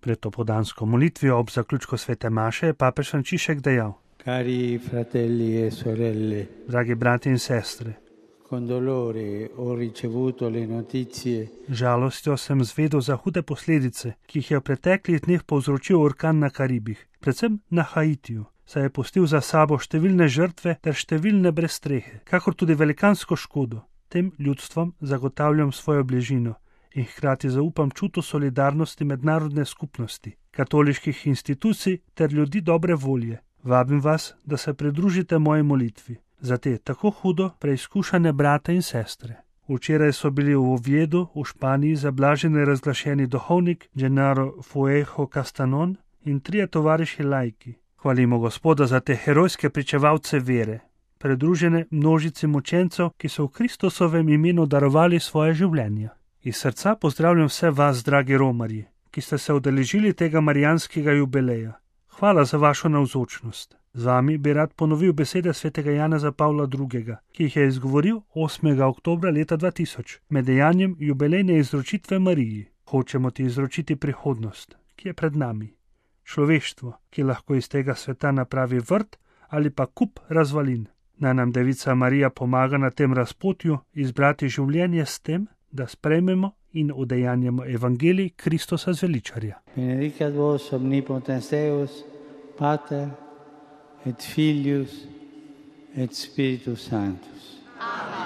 Pred opoldansko molitvijo ob zaključku svete maše je papež Frančišek dejal: Cari fratelli e sorelle, dragi brati in sestre, con dolore ho ricevuto le notizie žalostjo sem zvedel za hude posledice, ki jih je v preteklih dneh povzročil orkan na Karibih, predvsem na Haitiju, saj je pustil za sabo številne žrtve ter številne brez strehe, kakor tudi velikansko škodo. Tem ljudstvom zagotavljam svojo bližino in hkrati zaupam čutu solidarnosti mednarodne skupnosti, katoliških institucij ter ljudi dobre volje. Vabim vas, da se pridružite moji molitvi za te tako hudo preizkušane brate in sestre. Včeraj so bili v Oviedu v Španiji zablaženi razglašeni duhovnik Gennaro Fuejo Castanon in 3 tovariši laiki. Hvalimo Gospoda za te herojske pričevalce vere, pridružene množici mučencev, ki so v Kristusovem imenu darovali svoje življenja. Iz srca pozdravljam vse vas, dragi romarji, ki ste se udeležili tega marijanskega jubileja. Hvala za vašo navzočnost. Z vami bi rad ponovil besede svetega Janeza Pavla II., ki jih je izgovoril 8. oktobra leta 2000 med dejanjem jubilejne izročitve Mariji. Hočemo ti izročiti prihodnost, ki je pred nami. Človeštvo, ki lahko iz tega sveta napravi vrt ali pa kup razvalin. Naj nam Devica Marija pomaga na tem razpotju izbrati življenje s tem, da sprejmemo in udejanjamo evangelij Kristusa zveličarja. Benedicat vos omnipotens Deus, Pater et Filius et Spiritus Sanctus. Amen.